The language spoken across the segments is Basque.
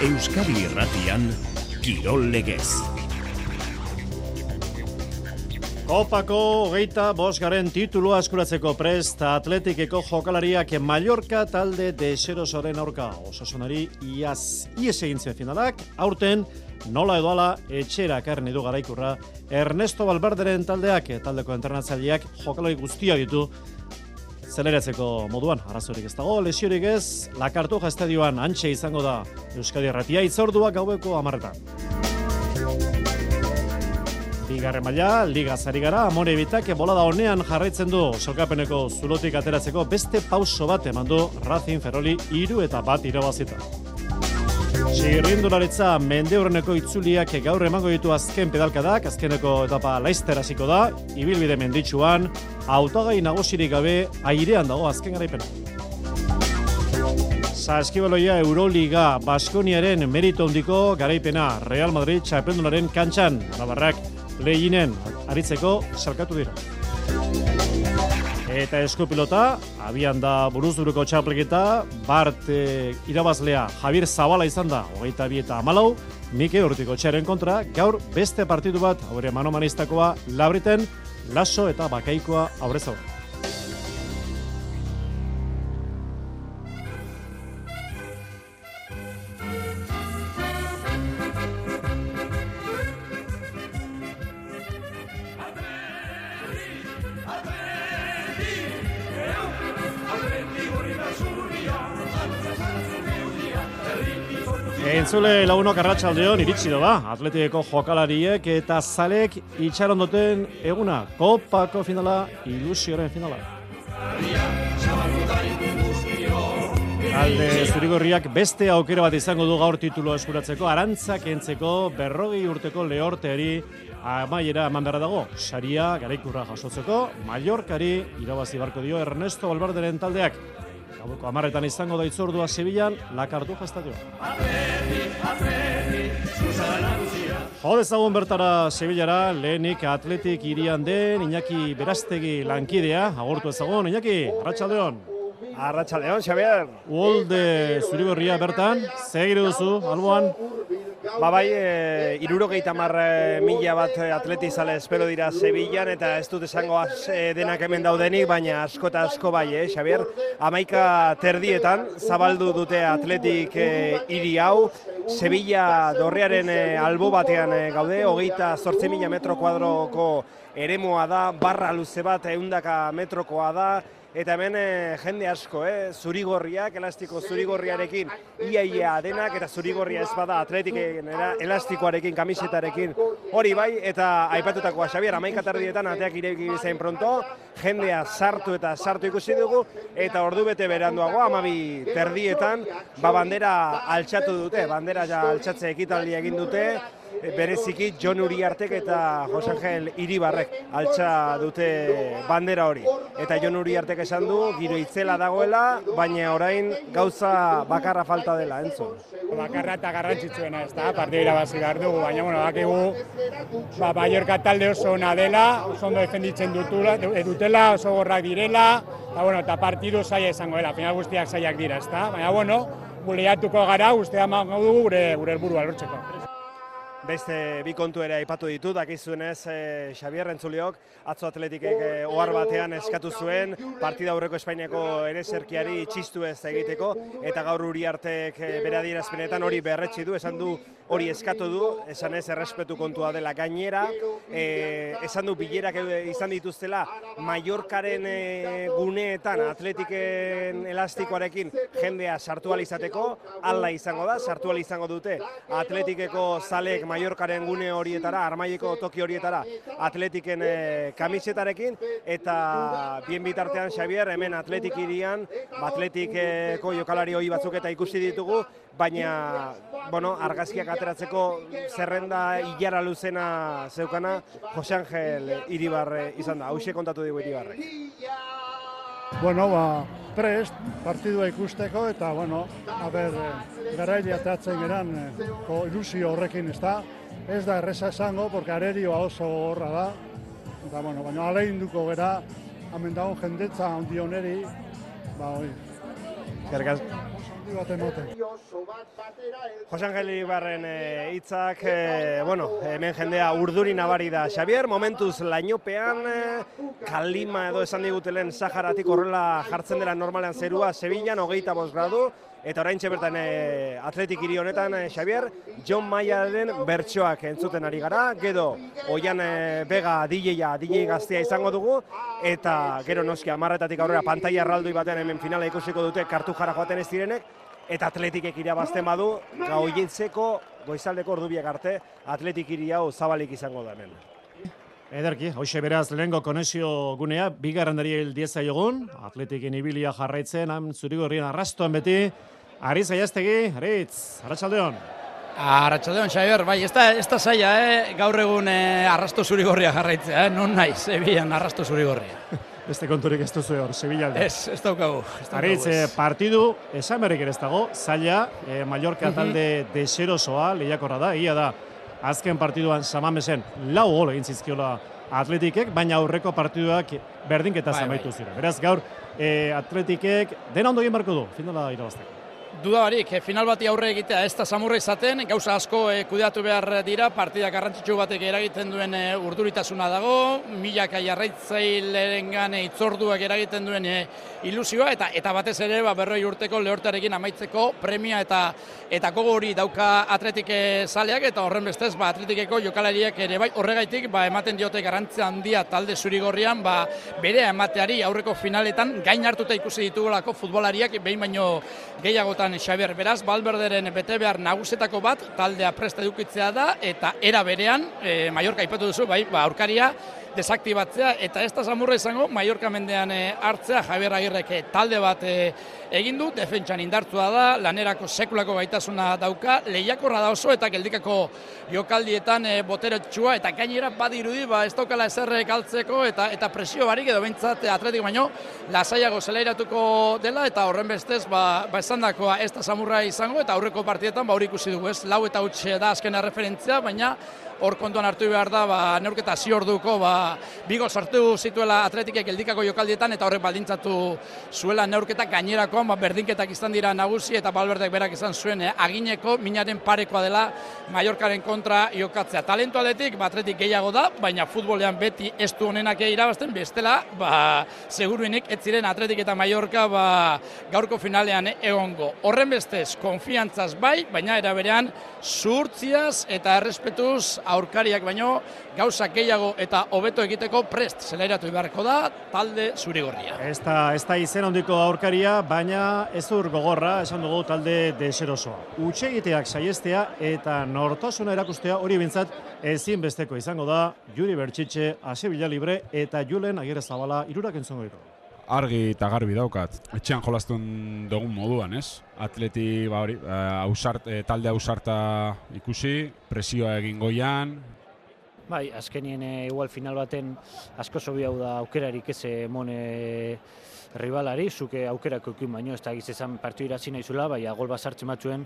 Euskadi Irratian, Kirol Legez. Kopako 25. titulua eskuratzeko prest Atletikeko jokalariak Mallorca talde deserosoren aurka. Osasunari iaz egin zuen finalak, aurten nola edo ala etxera ekarri du garaikurra Ernesto Valverderen taldeak, taldeko entrenatzaileak jokalari guztia ditu zeleratzeko moduan, arazorik ez dago, lesiorik ez, La Cartuja estadioan antxe izango da Euskadi Irratia, itzordua gaueko 10:00. Bigarren maila, ligaz ari gara, Amore Bitak bolada honean jarraitzen du sokapeneko zulotik ateratzeko beste pauso bat eman du Racing Ferroli 3-1 irabazita. Txirrindularitza mendeurreneko itzuliak gaur emango ditu azken pedalkadak, azkeneko etapa Laster hasiko da, ibilbide menditsuan, hautagai nagusirik gabe airean dago azken garaipena. Saskibaloia Euroliga Baskoniaren merito handiko garaipena Real Madrid txapeldunaren kantxan, Navarrak lehinen aritzeko salkatu dira. Eta eskupilota, abian da buruzburuko txapelketa, Bart irabazlea Javier Zabala izan da, 22-14, Mike Urtikotxearen kontra, gaur beste partidu bat, aurre manomaniztakoa, Labriten, Laso eta Bakaikoa aurrez aurre. Entzule lagunok arratsaldeon iritsi da, Atletikeko jokalariek eta zalek itxaron duten eguna, Kopako finala, ilusioren finala. Alde zurigorriak beste aukera bat izango du gaur titulo eskuratzeko, arantzak entzeko 40 urteko lehorteari amaiera eman beharra dago. Saria garaikurra jasotzeko, Mallorcari irabazi barko dio Ernesto Valverderen taldeak. Gaueko 10:00 izango da itzordua Sevillan, La Cartuja estadioa. Jo dezagun bertara Sevillara, lehenik Atletik hirian den Iñaki Berastegi lankidea, agurtu ezagun, Iñaki, arratsaldeon. Arratsaldeon, Xabier. Uolde zurigorria bertan, segiru duzu, alboan? Bai, 70.000 bat atletizale espero dira Sevillan, eta ez dut esango denak hemen daudenik, baina asko eta asko bai, Xabier. 11:30 zabaldu dute Atletik hiri hau, Sevilla dorrearen albo batean gaude, 28.000 metro kuadroko eremua da, barra luze bat 100 metrokoa da, eta hemen jende asko, zurigorriak, elastiko zurigorriarekin ia denak, eta zurigorria ez bada Atletiken elastikoarekin, kamisetarekin, hori bai, eta aipatutakoa Xabier, 11:30 ateak ireki bezain pronto, jendea sartu ikusi dugu, eta ordu bete beranduago, 12:30, bandera altxatu dute, bandera altxatze ekitaldia egin dute, bereziki Jon Uriartek eta Jose Angel Iribarrek altxa dute bandera hori. Eta Jon Uriartek esan du, giro itzela dagoela, baina orain gauza bakarra falta dela, entzun. Bakarra eta garrantzitsuena, ez da, partida irabazi behar dugu, baina, bakigu, Mallorca talde oso ona dela, oso ondo defenditzen dutela, oso gorrak direla, eta partidu zaila izango dela, final guztiak zailak dira, ez da, baina, buleatuko gara, guztia emango dugu gure helburua lortzeko. Beste bi kontu ere aipatu ditut, dakizuenez Xabier Entzuliok, atzo Atletikek ohar batean eskatu zuen, partida aurreko Espainiako ereserkiari txistu ez egiteko, eta gaur Uriartek bere adierazpenetan hori berretsi du, esan du hori eskatu du, esan ez errespetu kontua dela gainera, esan du bilerak izan dituztela Mallorcaren guneetan Atletiken elastikoarekin jendea sartu ahal izateko, hala izango da, sartu ahal izango dute Atletikeko zalek Mallorcaren gune horietara, Armaileko toki horietara, Atletiken kamisetarekin, eta bien bitartean, Xabier, hemen Atletik hirian, Atletikeko jokalari hori batzuk eta ikusi ditugu, baina, argazkiak ateratzeko zerrenda hilara luzena zeukana, Jose Angel Iribarre izan da, hauxe kontatu dugu Iribarrek. Prest, partidua ikusteko, eta, garaile atatzen geran, ilusio horrekin ez da. Ez da erreza esango, porque arerioa oso horra da. Eta, baina alegin gara, hemen dagoen jendetza handi honeri, Handi bat emoten. Jose Angel Ibarren hitzak, hemen jendea urduri nabari da. Xabier, momentuz lainopean, kalima edo esan digutelen Saharatik horrela jartzen dela normalean zerua, Sevillan 25 gradu, eta oraintxe bertan Atletik hiri honetan, Xabier, John Mayaren bertsoak entzuten ari gara, gero Oian Bega DJ gaztea izango dugu, eta gero noski 10:00 aurrera pantaila erraldoi batean hemen finala ikusiko dute Kartujara joaten ez direnek, eta Atletikek irabazten badu, goizaldeko ordubiak arte, Atletik hiri hau zabalik izango da hemen. Ederki, hauxe beraz lehengo konexio gunea, bigarren dariel dieza jogun, Atletikin ibilia jarraitzen, Zurigorrien arrastoan beti, Aritz Aiaztegi, Aritz, arratsaldeon. Arratsaldeon, Xabier, bai, ez da zaila, gaur egun arrasto Zurigorria jarraitzea, non nahi, Sevillan arrasto Zurigorria. Beste konturik ez duzu hor, Sevillalde. Ez daukagu. Aritz, partidu, esan berrik ere ez dago, zaila, Mallorca talde deserosoa, lehiakorra da, ia da, azken partiduan Samamesen 4 gol egin zizkiola Atletikek, baina aurreko partiduak berdinketa amaitu ziren. Beraz, gaur Atletikek dena ondo egin barko du, finala irabazteko. Duda barik, final bati aurre egitea ez da samurra izaten, gauza asko kudeatu behar dira, partida garrantzitsu batek eragiten duen urduritasuna dago, milaka jarraitzailerengan itzorduak eragiten duen ilusioa, eta batez ere 40 urteko Lehortearekin amaitzeko premia eta gogo hori dauka Atletik zaleak, eta horren bestez Atletikeko jokalariak ere bai horregaitik ematen diote garrantzia handia talde Zurigorrian berea emateari aurreko finaletan gain hartuta ikusi ditugulako futbolariak behin baino gehiagotan Xabier, beraz, Valverderen bete behar nagusetako bat, taldea prest edukitzea da, eta era berean, Mallorca aipatu duzu, aurkaria desaktibatzea, eta ez da samurra izango, Mallorca mendean hartzea, Javier Agirrek talde bat egin du, defentsan indartua da, lanerako sekulako gaitasuna dauka, lehiakorra da oso, eta geldikako jokaldietan boteretsua, eta gainera badirudi, ez daukala ezer galtzeko, eta presio barik edo behintzat Atletik baino, lasaiago zelairatuko dela, eta horren bestez, esandakoa ez da samurra izango, eta aurreko partietan hori ikusi dugu, 4 eta 8 da azkena referentzia, baina hor kontuan hartu behar da, neurketa ziorduko, 2 gol sartu zituela Atletikek geldikako jokaldietan, eta horrek baldintzatu zuela neurketa gainerakoan, berdinketak izan dira nagusi, eta Valverdek berak izan zuen agineko, minaren parekoa dela Mallorcaren kontra jokatzea. Talentu aldetik, Atletik gehiago da, baina futbolean beti ez du honenak irabazten, bestela, seguruenik ez ziren Atletik eta Mallorca gaurko finalean egongo. Horren bestez, konfiantzaz bai, baina era berean, zuhurtziaz eta errespetuz aurkariak baino gauza gehiago eta hobeto egiteko prest zelairatu beharko da talde Zurigorria. Ez da izen handiko aurkaria, baina ez dur gogorra, esan dugu talde deserosoa. Hutsegiteak saiestea eta nortasuna erakustea hori bintzat ezinbesteko izango da Juri Bertxitxe, Sevilla Libre eta Julen Agirrezabala hirurak entzongo ditu. Argi eta garbi daukat. Etxean jolastun dugun moduan, ez? Atleti talde ausarta ikusi, presioa egin goian. Bai, azkenien igual final baten asko zobi hau da aukerarik ez emon ribalari, zuke aukerako ekin baino, ez da gizizan partiu irazi nahi zula, bai, gol bat sartzen batzuen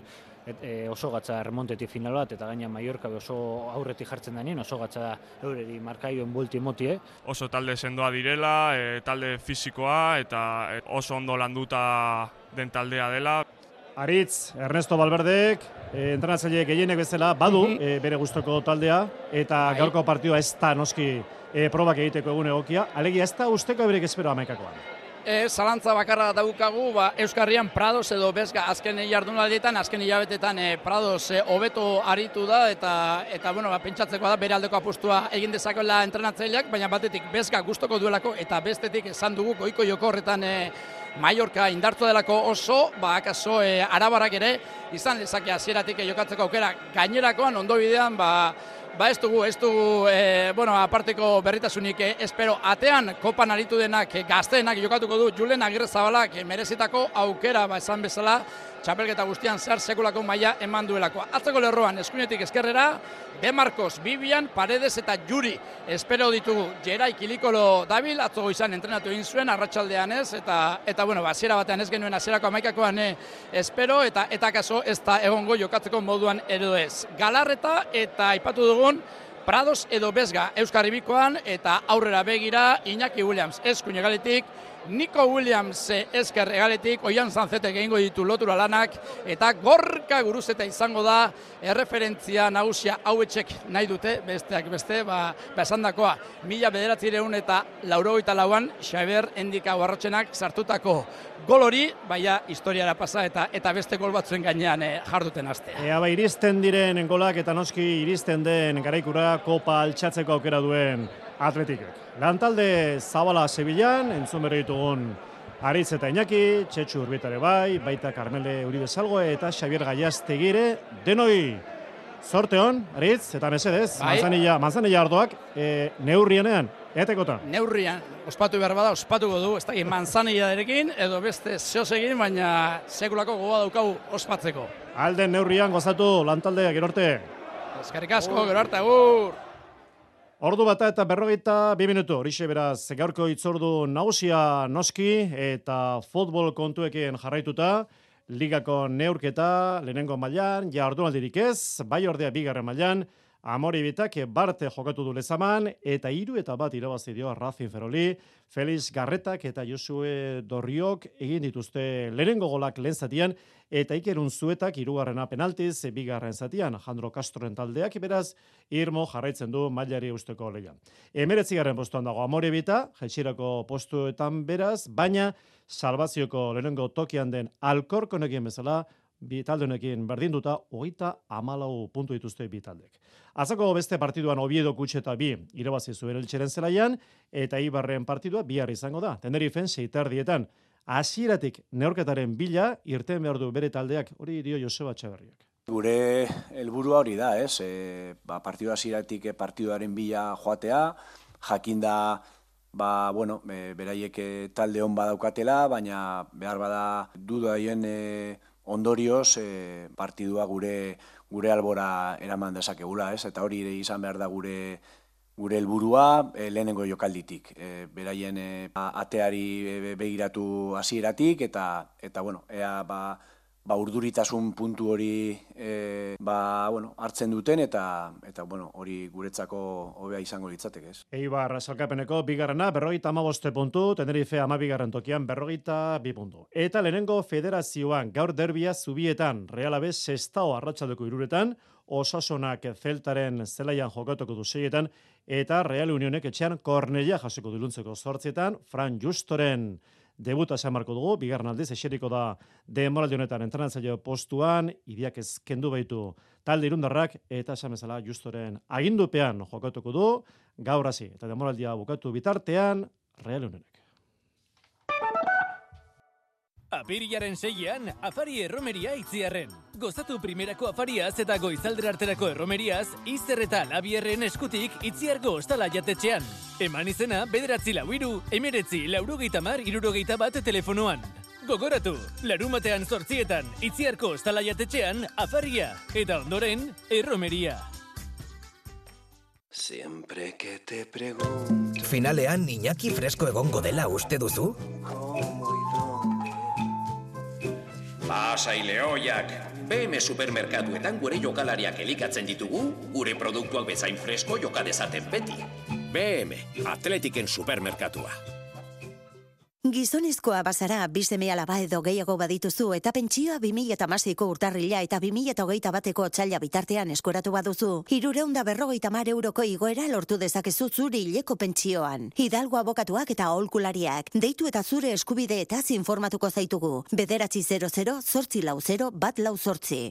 oso gatza remontetik final bat, eta gaina Mallorca oso aurretik jartzen denien, oso gatza eureri markaioen buelti emotie. Oso talde sendoa direla, talde fisikoa, eta oso ondo landuta den taldea dela. Aritz, Ernesto Valverdek, entrenatzaile gehienek bezala badu bere gustoko taldea, eta gaurko partidua ez da noski probak egiteko egun egokia, alegia ez da usteko eberik espero 11-koan. Zalantza bakarra daukagu, Euskarrian Prados edo Bezga azken jardunaldietan, azken hilabetetan Prados hobeto aritu da, eta pentsatzeko da bere aldeko apustua egin dezakoela entrenatzaileak, baina batetik Bezga gustoko duelako, eta bestetik esan dugu goiko joko horretan Mallorca indartu delako oso, akaso arabarrak ere izan lezake hasieratik jokatzeko aukera gainerakoan ondo bidean, ez dugu, aparteko berritasunik espero. Atean, kopan aritu denak, gazteenak jokatuko du Julen Agirrezabalak merezitako aukera, esan bezala, txapelketa guztian zehar sekulako maila eman duelako. Atzeko lerroan, eskuinetik eskerrera, De Marcos, Vivian, Paredes eta Juri. Espero ditugu, Gerai Kilikolo dabil, atzo goizan entrenatu egin zuen, arratsaldean ez, eta hasiera batean ez genuen hasierako 11-koan espero, eta kaso ez da egongo jokatzeko moduan edo ez. Galarreta eta aipatu dugun, Prados edo Bezga Euskarri bikoan, eta aurrera begira Iñaki Williams eskuinegaletik, Nico Williams esker egaletik, Oian Sanzetek egingo ditu lotura lanak, eta Gorka Guruzeta izango da erreferentzia nagusia hauetxek nahi dute, besteak beste, esandakoa, 1984an Xabier Endika Barrotxenak sartutako gol hori, baina historiara pasa eta beste gol batzuen gainean jarduten astea. Ea iristen diren golak eta noski iristen den garaikura kopa altxatzeko aukera duen Atletikek. Lantalde Zabala Sevillan, entzun berri ditugun Aritz eta Iñaki, Txetxu Urbitare baita Carmele Uribe Salgoe eta Xabier Gaiastegire, denoi zorte hon, Aritz, eta mesedez, manzanilla ardoak, neurrienean, etekotan. Neurrian, ospatu behar bada, ospatuko du, ez da, manzanillarekin, edo beste zeosegin, baina sekulako gogoa daukagu ospatzeko. Alden neurrian gozatu lantaldeak, gero arte. Eskerrik asko, gero arte, agur! Ordu bata eta 42 minutu, horixe beraz gaurko hitzordu nagusia noski eta futbol kontuekin jarraituta, ligako neurketa lehenengo mailan, ja ordunaldirik ez, bai ordea bigarren mailan, Amoribitak Barte jokatu du Lezaman, eta 3-1 irabazi dio Racing Ferroli, Felix Garretak eta Josue Dorriok egin dituzte lehenengo golak lehen zatian, eta Iker Unzuetak 3. penaltiz, bigarren zatian, Jandro Castroren taldeak, beraz, irmo jarraitzen du mailari eusteko lehian. 19. postuan dago Amoribita, jaitsierako postuetan beraz, baina salbazioko lehenengo tokian den Alkorkonekin bezala, bi talde honekin berdinduta 34 puntu dituzte bi taldek. Azako beste partiduan Oviedo Kutxeta 2 irabazi zuen Eltxeren zelaian, eta Eibarren partidua bihar izango da. Tenerifen 6:30. Hasieratik neurketaren bila irten behar du bere taldeak, hori dio Joseba Txaberriak. Gure helburua hori da, ez? Partidu hasieratik partiduaren bila joatea, jakinda beraiek talde on badaukatela, baina behar bada dudaien ondorioz partidua gure albora eraman dezakegula, ez? Eta hori izan behar da gure helburua lehenengo jokalditik. Beraien ateari begiratu hasieratik eta ea urduritasun puntu hori hartzen duten eta hori guretzako hobea izango litzateke, ez? Eibar salkapeneko bigarrena 55 puntu, Tenerife 12. tokian 42 puntu. Eta lehenengo federazioan gaur derbia Zubietan, Real Aves Sestao arratsaldeko 3:00, Osasunak Zeltaren zelaian jokatuko du 6:00 eta Real Unionek etxean Kornellà jasoko du iluntzeko 8:00, Fran Justoren debuta esan marko dugu, bigarren aldiz eseriko da denboraldi honetan entrenatzaile postuan, Idiak kendu baitu talde irundarrak, eta esan bezala Justoren agindupean jokatuko du, gaur hasi, eta denboraldia bukatu bitartean, Real Unionek. Apirilaren 6-an, afari erromeria Itziarren. Gozatu primerako afariaz eta goizaldera arterako erromeriaz, Izer eta Labierren eskutik Itziargo ostala jatetxean. Eman izena, 943 19 60 telefonoan. Gogoratu, larumatean 8:00 Itziarko ostala jatetxean, afaria, eta ondoren, erromeria. Siempre que te pregunto. Finalean Iñaki fresko egongo dela uste duzu? Pasai lehoiak, BM supermerkatuetan gure jokalariak elikatzen ditugu, gure produktuak bezain fresko joka dezaten beti. BM, Atletiken supermerkatua. Gizonezkoa bazara, 2 seme-alaba edo gehiago badituzu eta pentsioa 2016ko urtarrila eta 2021ko otsaila bitartean eskuratu baduzu, 350 euroko igoera lortu dezakezu zure hileko pentsioan. Hidalgo abokatuak eta aholkulariak, deitu eta zure eskubideetaz informatuko zaitugu. 900-840-148.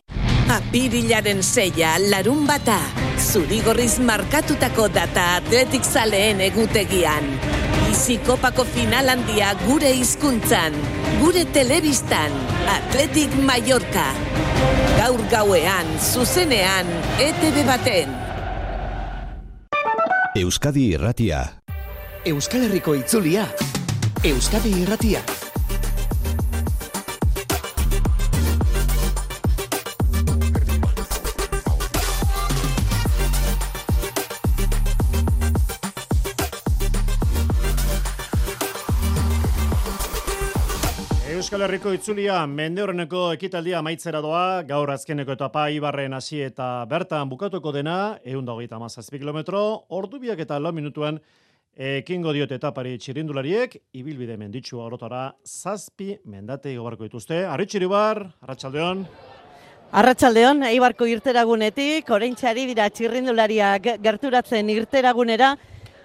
Apirilaren 6, larunbata, zurigorriz markatutako data Atletik zaleen egutegian. Bizikopako final handia gure hizkuntzan, gure telebistan, Atletik Mallorca. Gaur gauean, zuzenean, ETV baten. Euskadi Irratia. Euskal Herriko itzulia. Euskadi Irratia. Euskal Herriko itzulia mendeurreneko ekitaldia amaitzera doa, gaur azkeneko etapa Ibarren hasi eta bertan bukatuko dena, 127 kilometro, ordu biak eta 4 minutuan Ekingo diote etapari txirrindulariek, ibilbide menditsua orotara 7 mendate igobarko dituzte. Arritxiribar, arratsaldeon. Arratsaldeon, Eibarko irteragunetik, oraintxari dira txirrindulariak gerturatzen irteragunera,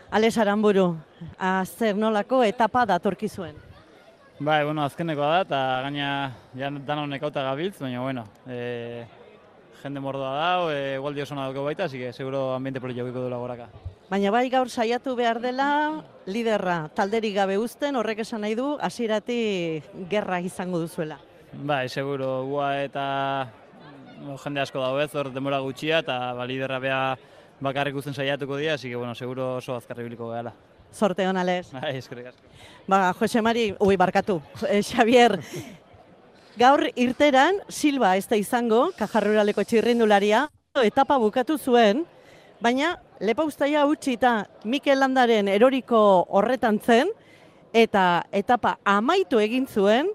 Ales Aranburu, zer nolako etapa datorkizuen? Bai, azkenekoa da, eta gaina danon nekauta gabiltz, baina, jende mordoa da, gualdi oso nadoko baita, así que seguro ambiente politiko duela goraka. Baina bai gaur saiatu behar dela, liderra talderik gabe uzten, horrek esan nahi du, hasieratik gerra izango duzuela. Bai, seguro, gua eta jende asko dago ez, hor denbora gutxia, eta liderra bea bakarrik uzten saiatuko dira, así que, seguro oso azkarri biliko gehala. Sorte hon, Ales. Bai, eskerrik asko. Jose Mari, barkatu, Xavier, gaur irteran, Silva ez da izango, Kajarruraleko txirrindularia, etapa bukatu zuen, baina Lepauztaia utzi eta Mikel Landaren eroriko horretan zen, eta etapa amaitu egin zuen,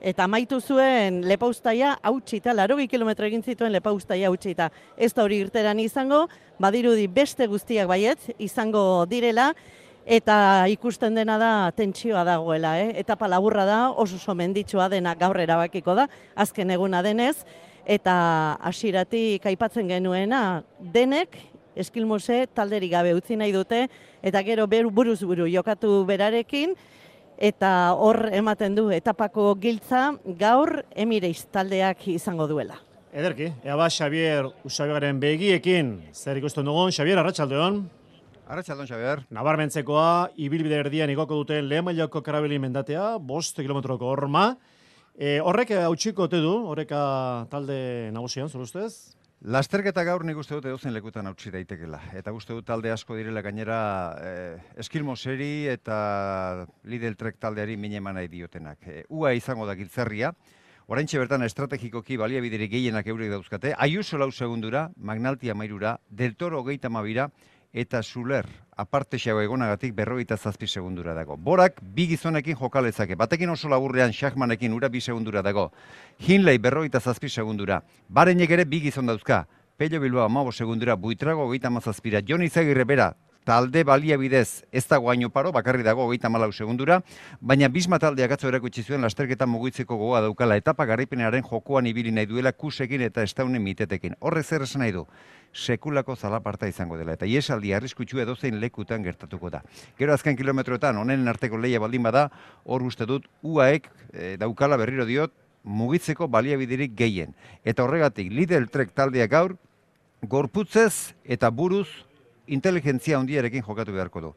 eta amaitu zuen Lepauztaia hautsita, 80 kilometro egin zituen Lepauztaia hautsita. Ez da hori irteran izango, badirudi beste guztiak baietz izango direla, eta ikusten dena da tentsioa dagoela. Etapa laburra da, oso menditsua dena gaur erabakiko da, azken eguna denez, eta hasieratik aipatzen genuena denek, Eskilmose talderik gabe utzi nahi dute, eta gero buruz buru jokatu berarekin, eta hor ematen du etapako giltza gaur Emireiz taldeak izango duela. Ederki, ea Xavier Usabigaren begiekin zer ikusten dugun. Xavier, arratsaldeon. Arratsaldeon, Xavier. Nabarmentzekoa, ibilbide erdian igoko duten lehen mailako karabeli mendatea, 5 kilometroko horma. Horrek hautsiko ote du, horreka talde nagusian, zure ustez? Lasterketa gaur nik uste dut edozen lekutan hautsi daitekela. Eta uste dut talde asko direla gainera Eskilmoseri eta Lidl Trek taldeari mine eman nahi diotenak. Ua izango da giltzarria. Oraintxe bertan estrategikoki baliabiderik gehienak eurek dauzkate. Ayuso 4 segundura, Magnalti 13, Del Toro 32 eta Zuler aparte xago egonagatik 47 segundura dago. Borak 2 gizonekin jokalezake. Batekin oso laburrean Schachmanekin ura 2 segundura dago. Hinley 47 segundura. Barenek ere 2 gizon dauzka. Pello Bilbao 15 segundura, Buitrago 37, Jon Izagirre bera talde baliabidez ez dago haino paro, bakarri dago 34 segundura, baina Bisma taldeak atzo erakutsi zuen lasterketa mugitzeko gogoa daukala, etapa garaipenaren jokoan ibili nahi duela Kusekin eta Estaunen mitetekin. Horrek zer esan nahi du? Sekulako zalaparta izango dela, eta iesaldi arriskutsua edozein lekutan gertatuko da. Gero azken kilometroetan, honen arteko lehia baldin bada, hor uste dut, UAek daukala berriro diot, mugitzeko baliabiderik gehien. Eta horregatik, Lidl Trek taldeak gaur, gorputzez eta buruz inteligentzia handiarekin jokatu beharko du.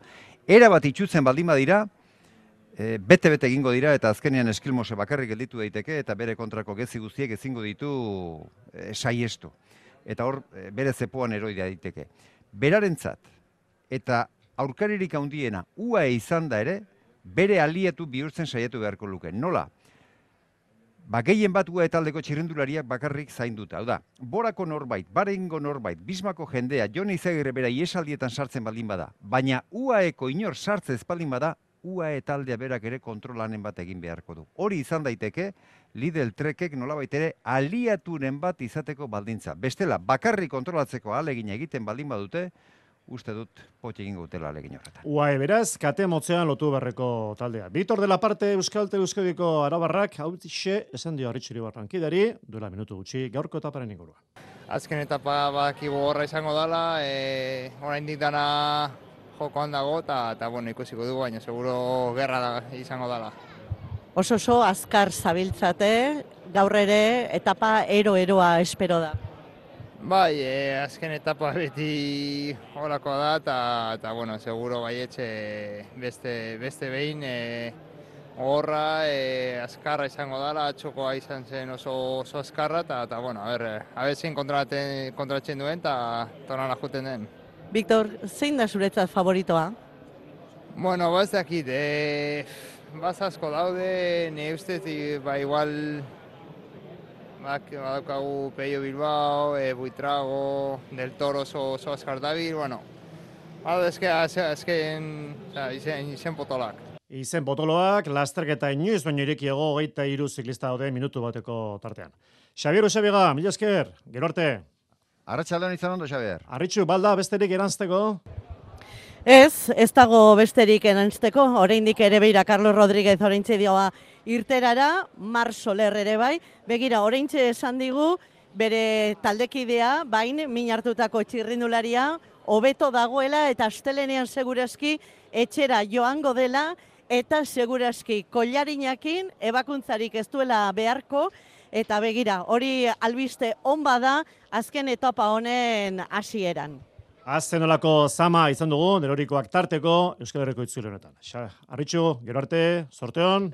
Era bat itxutzen baldin badira, bete-bete egingo dira, eta azkenean Eskilmose bakarrik gelditu daiteke, eta bere kontrako gezi guztiek ezingo ditu saiestu. Eta hor, bere zepoan eroi daiteke. Berarentzat, eta aurkaririk handiena, UAE izan da ere, bere aliatu bihurtzen saiatu beharko luke. Nola? Gehien bat UAE taldeko txirrindulariak bakarrik zainduta. Hau da, Borako norbait, Barengo norbait, Bismako jendea, Jon Izagirre bera iesaldietan sartzen baldin bada, baina UAEko inor sartze ez baldin bada, UAE taldea berak ere kontrolanen bat egin beharko du. Hori izan daiteke, Lidl Trekek nolabait ere aliaturen bat izateko baldintza. Bestela, bakarrik kontrolatzeko ahalegina egiten baldin badute, uste dut potxe egingo dutela ahalegin horretan. UAE beraz, kate motzean lotu berreko taldea. Bitor de la parte Euskaltel Euskadiko arabarrak, hau tixe, esan dio Arritxiribarren kidari, duela minutu gutxi, gaurko etaparen ingurua. Azken etapa badakigu horra izango dela, oraindik dana jokoan dago, eta ikusiko dugu, baina seguro gerra izango dela. Oso azkar zabiltzate, gaur ere etapa ero-eroa espero da. Bai, azken etapa beti horako da, eta seguro baietxe beste behin horra azkarra izango dela, atxokoa izan zen oso azkarra, eta zein kontratzen duen, eta tonala juten den. Victor, zein da zuretzat favoritoa? Ez dakit, asko daude, ne ustez, igual badaukagu Pello Bilbao, Buitrago, Del Toro oso azkar dabil, izen potolak. Izen potoloak, lasterketa inoiz baino irekiago 23 ziklista daude minutu bateko tartean. Xavier Usabiga, mila esker, gero arte. Arratsaldeon izan ondo, Xavier. Arritxu, balda besterik eranzteko? Ez dago besterik erantzteko, oraindik ere beira Carlos Rodríguez oraintxe dioa irterara, Mar Soler ere bai, begira oraintxe esan digu, bere taldekidea, bain, min hartutako txirrindularia, hobeto dagoela eta astelenean segurazki etxera joango dela, eta segurazki kollarinakin ebakuntzarik ez duela beharko, eta begira, hori albiste on bada azken etapa honen hasieran. Azten olako zama izan dugu, nerorikoak tarteko, Euskal Herriko itzuli honetan. Arritxu, gero arte, sorteon.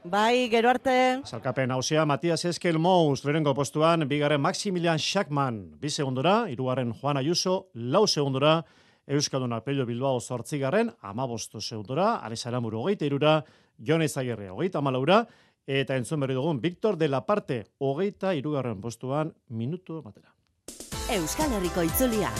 Bai, gero arte. Salkapen hausia, Matias Eskel Mous, lehenengo postuan, bigarren Maximilian Schachmann, 2 segundora, 3. Juan Ayuso, 4 segundora, Euskalduna Pello Bilbao 8. 15 segundora, Alex Aramuru 23, Jon Ezagirre 34, eta entzun berri dugun, Victor de la Parte, 23. postuan, minutu batera. Euskal Herriko itzulia.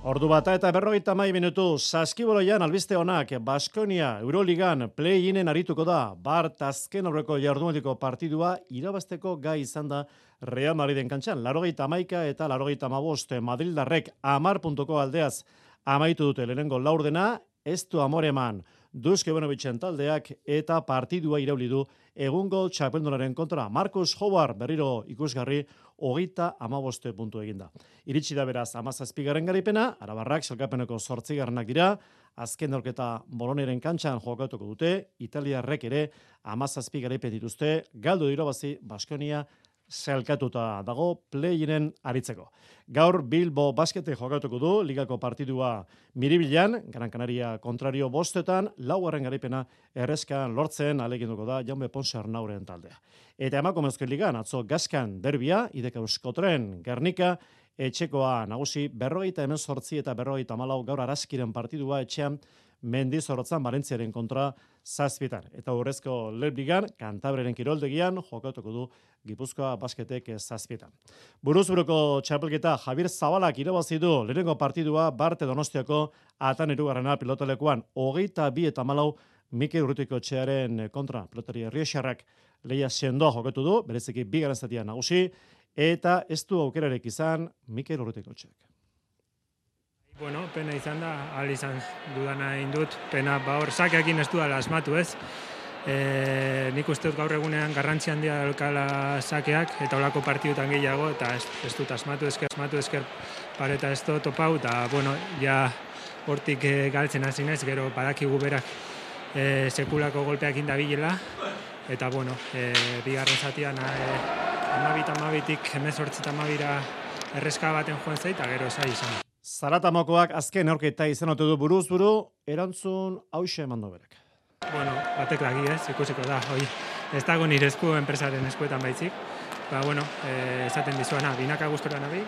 Ordu bata eta 50 minutu, Saskiboloian albiste honak, Baskonia Euroligan play-inen arituko da, Bart azken aurreko jardunaldiko partidua irabazteko gai izan da Real Madriden kantxan. 81 eta 85 Madrildarrek 10 puntuko aldeaz amaitu dute lehenengo laurdena, ez du amore eman Duske Bonovitzen taldeak eta partidua irauli du egungo txapeldunaren kontra. Marcus Howard berriro ikusgarri 35 puntu eginda. Iritsi da beraz 17. garaipena, arabarrak salkapeneko 8. dira, azken neurketa Boloniaren kantxan jokatuko dute, italiarrek ere 17 garaipen dituzte, galdu irabazi Baskonia zelkatuta dago play-inen aritzeko. Gaur Bilbo Baskete jokatuko du, ligako partidua Miribilan, Gran Canaria kontrario 5, 4. garaipena errezkan lortzen aleginduko da Jaume Ponce Arnauren taldea. Eta emakumezko ligan, atzo Gaskan derbia, Ideka Euskotren, Gernika, etxekoa nagusi 48 eta 54 gaur Araskiren partidua etxean Mendizorrotzan Valentziaren kontra 7. Eta urrezko Lebligan, Kantabreren kiroldegian, jokatuko du Gipuzkoa Basketek 7. Buruzburuko txapelketa Javier Zabalak irabazi du lehenengo partidua Barte Donostiako atan 2. pilotalekuan 22 eta 4 Mikel Urrutikoetxearen kontra. Pilotari Errioxarrak lehia sendoa jokatu du, bereziki 2. zatia nagusi, eta ez du aukerarek izan Mikel Urrutikoetxeak. Bueno, pena izan da, ahal izan dudana indut, pena hor sakeekin ez dudala asmatu ez. Nik uste dut gaur egunean garrantzi handia daukala sakeak, eta olako partidutan gehiago, eta ez dut asmatu esker pareta ez dut topau, eta bueno, ja hortik galtzen hasi naiz, gero badakigu berak sekulako golpeak indabilela, eta bueno, bigarren zatian 12-tik 18-12 erreska baten joan zait, eta gero esai izan. Zaratamokoak azken aurketa izan ote du buruz-buru, erantzun hauxe emando berak. Bueno, batek lagi ez, ikusiko da, ez dago nire esku enpresaren eskuetan baitzik. Bueno, esaten dizuena, binaka gustora nabil,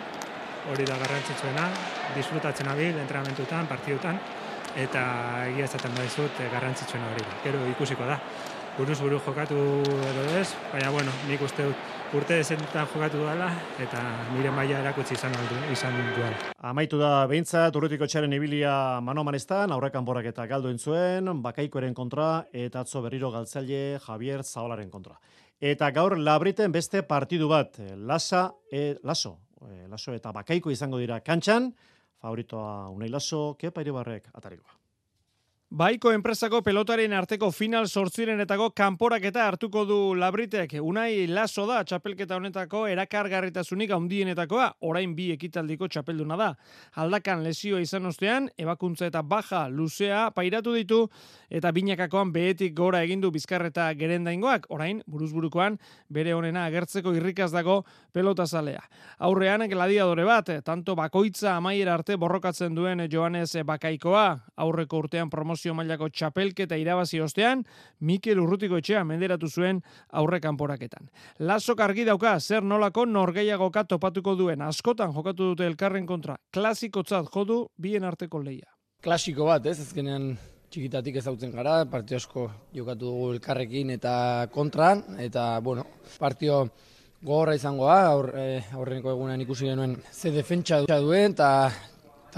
hori da garrantzitsuena, disfrutatzen nabil, entrenamentutan, partidutan, eta egia esaten badizut garrantzitsuena hori da. Gero ikusiko da, buruz-buru jokatu edo ez, baina bueno, nik uste urte dezentan jokatu dela, eta nire maila erakutsi izan duela. Amaitu da behintzat, Urrutikoetxearen ibilia mano-manestan, aurrekan borak eta galdu entzuen, Bakaikoren kontra, eta atzo berriro galtzaile Javier Zabalaren kontra. Eta gaur Labriten beste partidu bat, Laso eta Bakaiko izango dira kantxan, favoritoa Unai Laso, Kepa Iribarrek atarikoa. Baiko enpresako pelotaren arteko final 8-renetako kanporaketa hartuko du Labritek. Unai Laso da txapelketa honetako erakargarritasunik handienetakoa, orain 2 ekitaldiko txapelduna da. Aldakan lesioa izan ostean, ebakuntza eta baja luzea pairatu ditu, eta binakakoan behetik gora egindu Bizkarreta Gerendaingoak, orain buruzburukoan bere honena agertzeko irrikaz dago pelotazalea. Aurrean gladiadore bat, tanto bakoitza amaiera arte borrokatzen duen Joanes Bakaikoa, aurreko urtean promozio mailako txapelketa irabazi ostean, Mikel Urrutikoetxea menderatu zuen aurre kanporaketan. Lasok argi dauka zer nolako norgehiagoka topatuko duen, askotan jokatu dute elkarren kontra, klasikotzat jodu bien arteko lehia. Klasiko bat, ez, azkenean txikitatik ezautzen gara, partio asko jokatu dugu elkarrekin eta kontran, eta bueno, partio gogorra izangoa, aurreneko egunean ikusi genuen ze defentsa duen, eta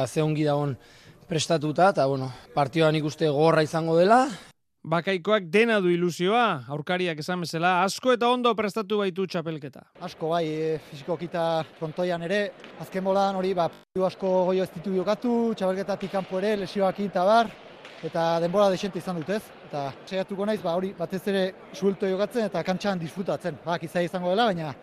ze ongi dagoen prestatuta, eta bueno, partioan ikuste gogorra izango dela. Bakaikoak dena du ilusioa, aurkariak esan bezala, asko eta ondo prestatu baitu txapelketa. Asko bai, fizikokita kontoian ere, azken bolan hori, asko goio ez ditu jokatu, txapelketatik kanpo ere, lesioak eta bar, eta denbora desente izan dut ez. Eta saiatuko naiz, hori batez ere suelto jokatzen eta kantxan disfrutatzen. Izai izango dela, baina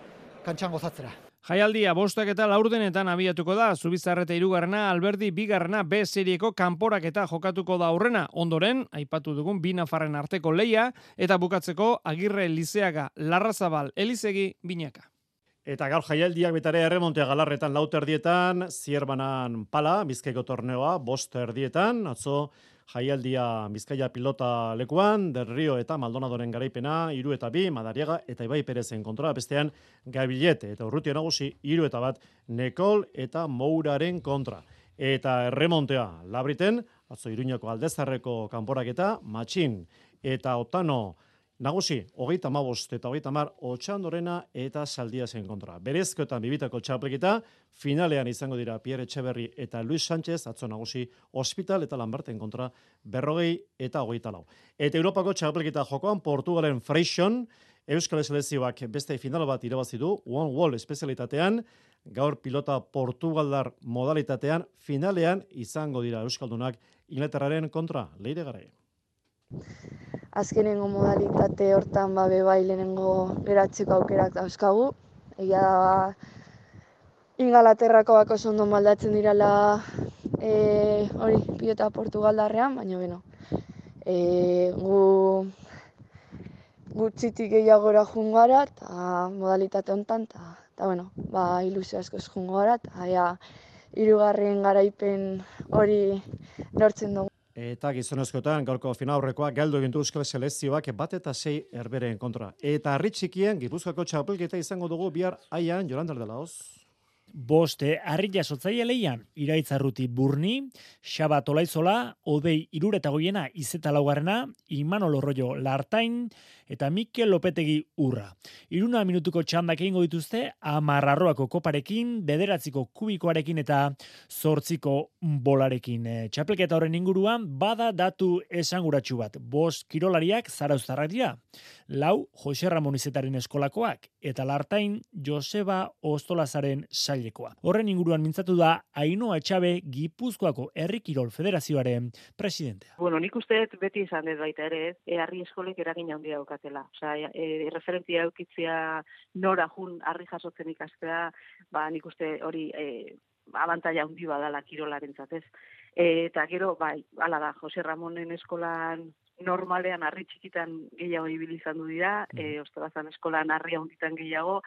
kantxan gozatzera. Jaialdia 5 eta 4 abiatuko da, Zubizarreta 3, Alberdi 2, B serieko kanporaketa jokatuko da aurrena. Ondoren, aipatu dugun 2 nafarren arteko leia, eta bukatzeko Agirre Lizeaga, Larrazabal, Elizegi, Binaka. Eta gaur jaialdiak betare erremontea Galarretan 4:00, Zierbanan Pala, Bizkaiko torneoa 5:00, atzo jaialdia Bizkaia pilota lekuan, Del Rio eta Maldonadoren garaipena, 3-2, Madariaga eta Ibai Perezen kontra, bestean Gabilete eta Urrutia nagusi, 3-1, Nekol eta Mouraren kontra. Eta erremontea Labriten, atzo Iruñako Aldezarreko kanporaketa, Matxin eta Otano nagusi, 35 eta 30, Otxandorena eta Saldiasen kontra. Berezkoetan bibitako txapelketa, finalean izango dira Pierre Etxeberri eta Luis Sánchez, atzo nagusi Hospital eta Lamberten kontra 40 eta 24. Eta Europako txapelketa jokoan Portugalen Freixon, Euskal Selezioak beste final bat irabazi du, One Wall espezialitatean, gaur pilota Portugaldar modalitatean, finalean izango dira Euskaldunak Inglaterraren kontra, Leire Garai. Azkenengo modalitate hortan bai lehenengo geratzeko aukerak dauzkagu. Egia da Ingalaterrako bako ondo maldatzen dirala hori pilota Portugaldarrean, baina gu txitik gehiagora jungara eta modalitate hontan eta ilusio askoz jungara eta 3. garaipen hori lortzen dugu. Eta gizonezkoetan gaurko finaurrekoa galdu egin du Euskal Selezioak 1-6 Herberen kontra. Eta harri txikien Gipuzkoako txapelketa izango dugu bihar Aian, Jolanda Ardelaoz. 5 harri jasotzaile leian, Iraitzarruti Burni, Xabat Olaizola, Odei 3 Izeta 4, Imanol Orroio Lartain, eta Mikel Lopetegi Urra. 1 minutuko txandak egingo dituzte, 10 koparekin, 9 kubikoarekin eta 8 bolarekin. Txapelketa horren inguruan, bada datu esanguratsu bat. 5 kirolariak zarauztarrak dira. 4 Jose Ramon Izetaren eskolakoak, eta Lartain Joseba Ostolazaren sailekoa. Horren inguruan mintzatu da Ainhoa Etxabe Gipuzkoako Herri Kirol Federazioaren presidentea. Nik uste beti izan dut baita ere, harri eskolek eragin handia daukatela. Referentzia eukitzea nora jun harri jasotzen ikastea, nik uste hori abantaila handi badala kirolarentzat ez. Eta gero, hala da, Jose Ramonen eskolan normalean harri txikitan gehiago ibili izan du dira, Ostolazan eskolan harri handitan gehiago,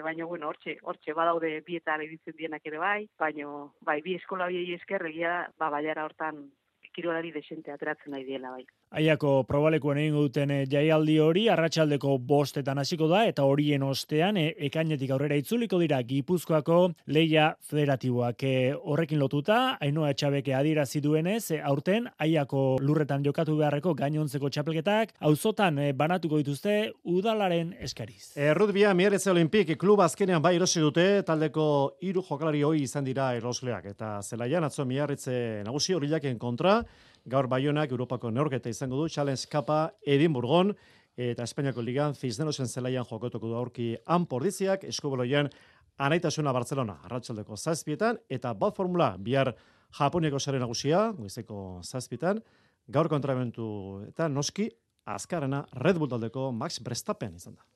baina hortxe badaude bietan ibitzen dienak ere baina bi eskola biei esker egia baiara hortan kirolari desente ateratzen nahi diela bai. Aiako probalekuan egingo duten jaialdi hori arratsaldeko 5 hasiko da eta horien ostean ekainetik aurrera itzuliko dira Gipuzkoako leia federatiboak. Horrekin lotuta, Ainhoa Etxabeke adierazi duenez, aurten Aiako lurretan jokatu beharreko gainontzeko txapelketak auzotan banatuko dituzte udalaren eskariz. Errutbia Mieretze Olimpik klub azkenean erosi dute, taldeko 3 jokalari hoi izan dira erosleak eta zelaian atzo Mieretze nagusi Horillaken kontra. Gaur Baionak Europako neurketa izango du, Challenge Cupa Edinburgon, eta Espainiako Ligan Cisnerosen zelaian jokatuko du aurki Anpordiziak, Eskubaloian Anaitasuna Barcelona, arratsaldeko 7 eta bat formula, bihar Japoniako sare nagusia, goizeko 7, gaur kontrabentu eta noski azkarrena Red Bull taldeko Max Verstappen izan da.